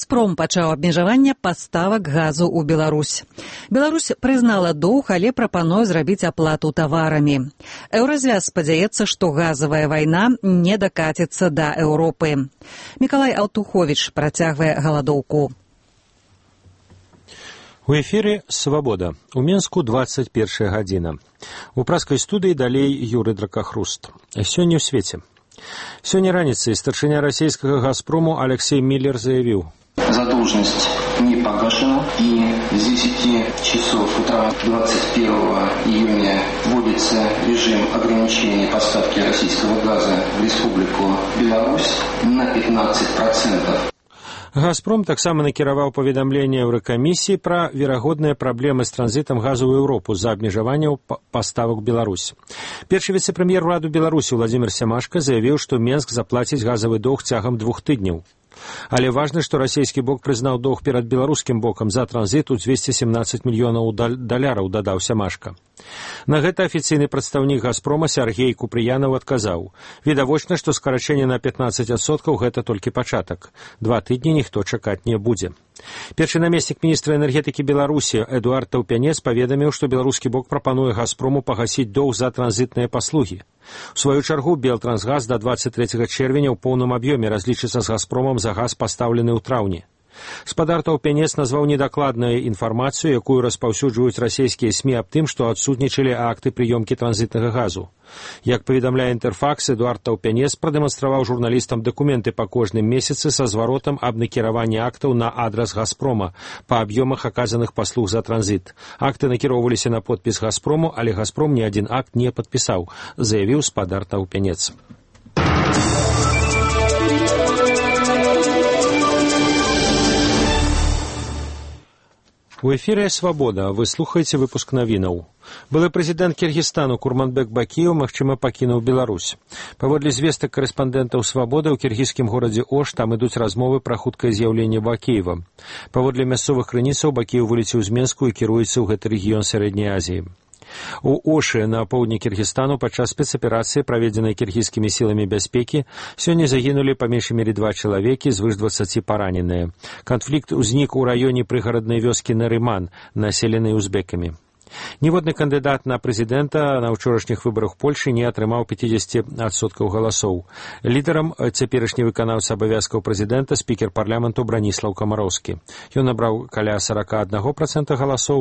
«Газпром» пачаў абмежаванне паставак газу ў Беларусь. Беларусь прызнала доўг, але прапануе зрабіць аплату таварамі. Еўразвяз спадзяецца, што газавая вайна не дакаціцца да Еўропы. Мікалай Алтуховіч працягвае галадоўку. У эфире «Свобода». У Менску 21 гадзіна. У праскай студыі далей Юрый Дракахруст. Сёння ў свеце. Сёння раніцай старшыня расійскага «Газпрому» Алексей Миллер заявіў: задолженность не погашена, и с 10 часов утра 21 июня вводится режим ограничения поставки российского газа в Республику Беларусь на 15%. «Газпром» таксама накіраваў паведамленне Еўракамісіі пра верагодныя праблемы з транзітам газу ў Еўропу з-за абмежаванняў паставак Беларусь. Першы віцэ-прэм'ер ураду Беларусі Владзімір Сямашка заявіў, што Менск заплаціць газавы доўг цягам 2 тыдняў. Але важна, што расійскі бок прызнаў доўг перад беларускім бокам за транзіт у 217 мільёнаў даляраў, дадаў Сямашка. На гэта афіцыйны прадстаўнік «Газпрома» Сяргей Купрыянаў адказаў: відавочна, што скарачэнне на 15% гэта толькі пачатак. 2 тыдні ніхто чакаць не будзе. Першы намеснік міністра энергетыкі Беларусі Эдуард Таўпянец паведаміў, што беларускі бок прапануе «Газпрому» пагасіць доўг за транзітныя паслугі. У сваю чаргу Белтрансгаз да 23 чэрвеня ў поўным аб'ёме разлічыцца з «Газпромам» за газ, пастаўлены ў траўні. Спадар Таўпянец назваў недакладную інфармацыю, якую распаўсюджваюць расійскія СМІ аб тым, што адсутнічалі акты прыёмкі транзітнага газу. Як паведамляе Інтэрфакс, Эдуард Таўпянец прадэманстраваў журналістам дакументы па кожным месяцы са зваротам аб накіраванні актаў на адрас «Газпрома» па аб'ёмах аказаных паслуг за транзіт. Акты накіроўваліся на подпіс «Газпрому», але «Газпром» ні адзін акт не падпісаў, заявіў спадар Таўпянец. У эфире «Свобода». Вы слухаеце выпуск навінаў. Былы прэзідэнт Кіргізстану Курманбек Бакіеў, магчыма, пакінуў Беларусь. Паводле звестак карэспандэнтаў «Свободы», ў кіргізскім горадзе Ош там ідуць размовы пра хуткае з'яўленне Бакіева. Паводле мясцовых крыніцаў Бакіеў вылецеў з Менску і кіруецца ў гэты рэгіён Сярэдняй Азіі. У Ошы на поўдні Кіргізстану падчас спецаперацыі, праведзенай кіргізскімі сіламі бяспекі, сёння загінулі па меншай мере 2 чалавекі, звыш 20 параненыя. Канфлікт узнік у раёне прыгараднай вёскі Нарыман, населенай узбекамі. Ніводны кандыдат на прэзідэнта на ўчорашніх выбарах Польшы не атрымаў 50% галасоў. Лідарам цяперашні выканаўца абавязкаў прэзідэнта спікер парламенту Браніслаў Камароўскі. Ён набраў каля 41% галасоў,